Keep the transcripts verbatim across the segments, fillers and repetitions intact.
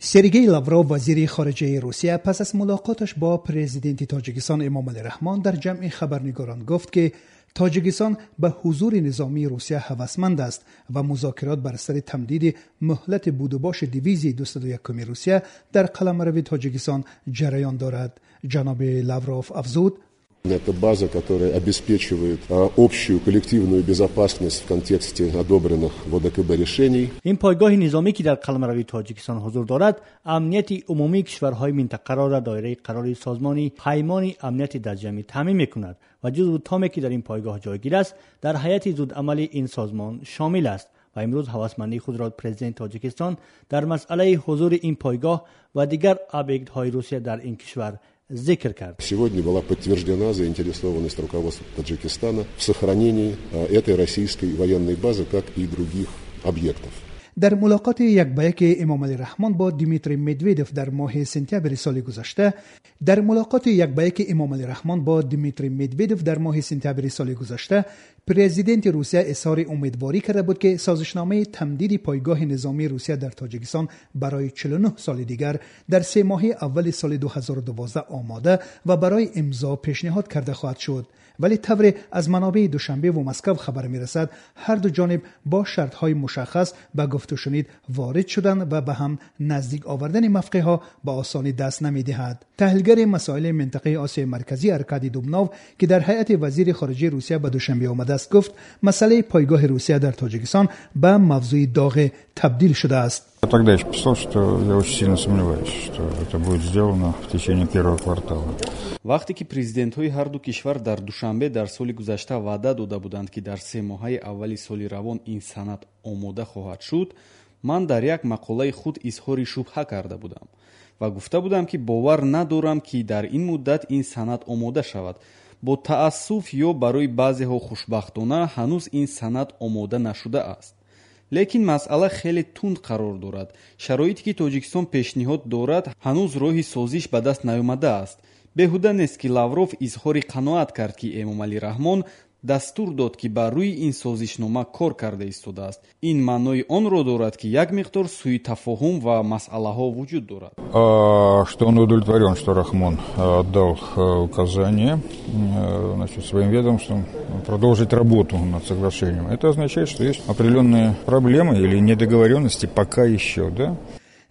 Сергей Лавров, вазири хориҷаи Русия, пас аз мулоқоташ бо президенти Тоҷикистон Эмомалӣ Раҳмон дар ҷамъи хабарнигорон гуфт, ки Тоҷикистон ба ҳузури низомии Русия ҳавасманд аст ва музокирот бар сари тамдиди муҳлати будубоши дивизияи дусаду якуми Русия дар қаламрави Тоҷикистон ҷараён дорад. Ҷаноби Лавров афзуд: Это база, которая обеспечивает общую коллективную безопасность в контексте одобренных в О Д К Б решений. Ин пойгоҳи низомӣ, ки дар қаламрави Тоҷикистон ҳузур дорад, амнияти умумии кишварҳои минтақаро дар доираи қарори Созмони Паймони Амнияти Дастҷамъӣ таъмин мекунад ва ҷузъу томе, ки дар ин пойгоҳ ҷойгир аст, дар ҳайати зудамали ин созмон шомил аст. Ва имрӯз ҳавасмандии худро президенти Тоҷикистон дар масъалаи ҳузури ин пойгоҳ ва дигар объектҳои Русия дар ин кишвар зикр кард. Сегодня была подтверждена заинтересованность руководства Таджикистана в сохранении этой российской военной базы, как и других объектов. Дар мулоқоти як ба яки Эмомалӣ Раҳмон бо Дмитрий Медведев дар моҳи сентябри соли гузашта дар мулоқоти як ба яки Эмомалӣ Раҳмон бо Дмитрий Медведев дар моҳи сентябри соли гузашта президенти Русия изҳори умедворӣ карда буд, ки созишномаи тамдиди пойгоҳи низомии Русия дар Тоҷикистон барои чилу нӯҳ соли дигар дар се моҳи аввали соли ду ҳазору дувоздаҳ омода ва барои имзо пешниҳод карда хоҳад шуд. Вале тавре аз манобеи Душанбе ва Москав хабар мерасад, ҳар ду ҷониб бо шартҳои мушаххас ба гуфтушунид ворид шуданд ва ба ҳам наздик овардани мавқеъҳо ба осонӣ даст намедиҳад. Таҳлилгари масоили минтақаи Осиёи Марказӣ Аркадий Дубнов, ки дар ҳайати вазири хориҷаи Русия ба Душанбе омадааст, гуфт, масъалаи пойгоҳи Русия дар Тоҷикистон ба мавзӯи доғе табдил шудааст. Я тогда еще писал, что я очень сильно сомневаюсь, что это будет сделано в течение первого квартала. Вақте ки президентҳои ҳарду кишвар дар Душанбе дар соли гузашта ваъда дода буданд, ки дар се моҳаи аввали соли равон ин санад омода хоҳад шуд, ман дар як мақолаи худ изҳори шубҳа карда будам ва гуфта будам, ки бовар надорам, ки дар ин муддат ин санад омода шавад. Бо таассуф ё барои баъзеҳо хушбахтона, ҳанӯз ин санад омода нашудааст. Лекин масъала хеле тунд қарор дорад. Шароите, ки Тоҷикистон пешниҳод дорад, ҳанӯз роҳи созиш ба даст наёмадааст. Беҳуда нест, ки Лавров изҳори қаноат кард, ки Эмомалӣ Раҳмон дастур дод, ки бар рӯи ин созишнома кор карда истодааст. Ин маънои онро дорад, ки як миқдор сӯитафоҳум ва масъалаҳо вуҷуд дорад. Что он удовлетворен, что Рахмон дал указание, значит, своим ведомствам продолжить работу над соглашением. Это означает, что есть определенные проблемы или недоговоренности пока еще, да?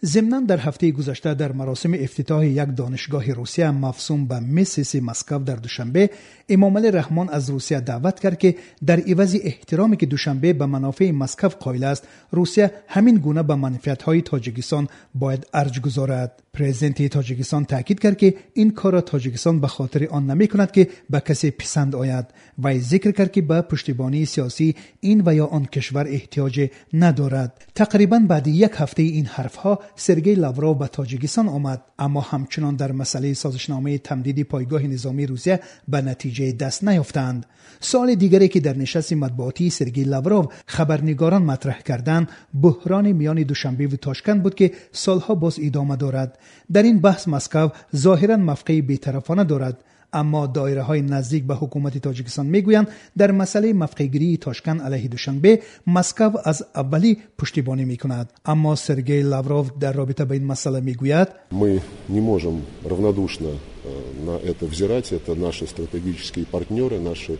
Зимнан, дар ҳафтаи гузашта дар маросими ифтитоҳи як донишгоҳи Русия, мавсум ба Миссиси Москав, дар Душанбе, Эмомалӣ Раҳмон аз Русия даъват кард, ки дар ивази эҳтироме, ки Душанбе ба манофеи Москав қоил аст, Русия ҳамин гуна ба манфиатҳои Тоҷикистон бояд арҷ гузорад. Президенти Тоҷикистон таъкид кард, ки ин корро Тоҷикистон ба хотири он намекунад, ки ба касе писанд ояд. Вай зикр кард, ки ба пуштибонии сиёсии ин ва ё он кишвар эҳтиёҷе надорад. Тақрибан баъди як ҳафтаи ин ҳарфҳо Сергей Лавров ба Тоҷикистон омад, аммо ҳамчунон дар масъалаи созишномаи тамдиди пойгоҳи низомии Русия ба натиҷаи даст наёфтанд. Суоли дигаре, ки дар нишасти матбуотии Сергей Лавров хабарнигорон матраҳ карданд, буҳрони миёни Душанбеву Тошканд буд, ки солҳо боз идома дорад. Дар ин баҳс Москав зоҳиран мавқеи бетарафона дорад, аммо доираҳои наздик ба ҳукумати Тоҷикистон мегӯянд, дар масъалаи мавқеъгирии Тошканд алайҳи Душанбе Москав аз аввалӣ пуштибонӣ мекунад. Аммо Сергей Лавров дар робита ба ин масъала мегӯяд: Мы не можем равнодушно э, на это взирать. Это наши стратегические партнеры, наши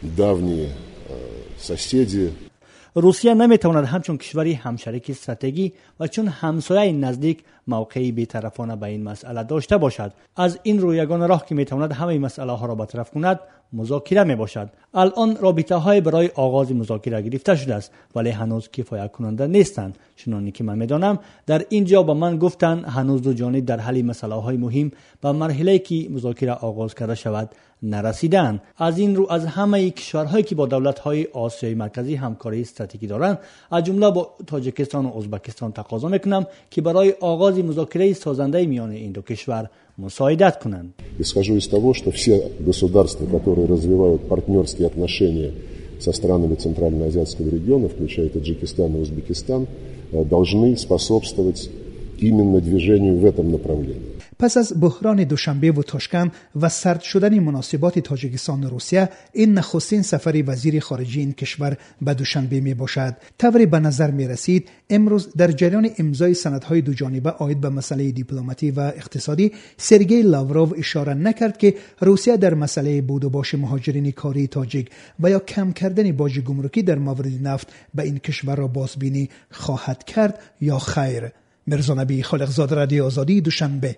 давние э, соседи. Русия наметавонад ҳамчун кишвари ҳамшарики стратегӣ ва чун ҳамсояи наздик мавқеи бетарафона ба ин масъала дошта бошад. Аз ин рӯ, ягона роҳ, ки метавонад ҳамаи масъалаҳоро бартараф кунад, музокира мебошад. Алон робитаҳое барои оғози музокира гирифта шудааст, вале ҳанӯз кифоякунанда нестанд. Чуноне ки ман медонам, дар ин ҷо ба ман гуфтанд, ҳанӯз ду ҷониб дар ҳалли масъалаҳои муҳим ба марҳилае, ки музокира оғоз карда шавад, нарасидаанд. Аз ин рӯ, аз ҳамаи кишварҳое, ки бо давлатҳои Осиёи Марказӣ ҳамкории стратегӣ доранд, аз ҷумла бо Тоҷикистону Ӯзбекистон, тақозо мекунам, ки барои оғози музокираи созандаи миёни ин ду кишвар мусоидат кунанд. Исхожу из того, что все государства, которые развивают партнерские отношения со странами Центральноазиатского региона, включая Таджикистан и Узбекистан, э, должны способствовать именно движению в этом направлении. پس از بحران دوشنبه و تاشکند و سرد شدن مناسبات تاجیکستان و روسیه، این نخستین سفر وزیر خارجه این کشور به دوشنبه می باشد. طوری به نظر می رسید امروز در جریان امضای سندهای دو جانبه عاید به مسئله دیپلماتی و اقتصادی، سرگئی لاوروف اشاره نکرد که روسیه در مسئله بود و باش مهاجرین کاری تاجیک و یا کم کردن باج گمرکی در مورد نفت به این کشور را بازبینی خواهد کرد یا خیر. میرزا نبی خالقزاده، رادیو آزادی، دوشنبه.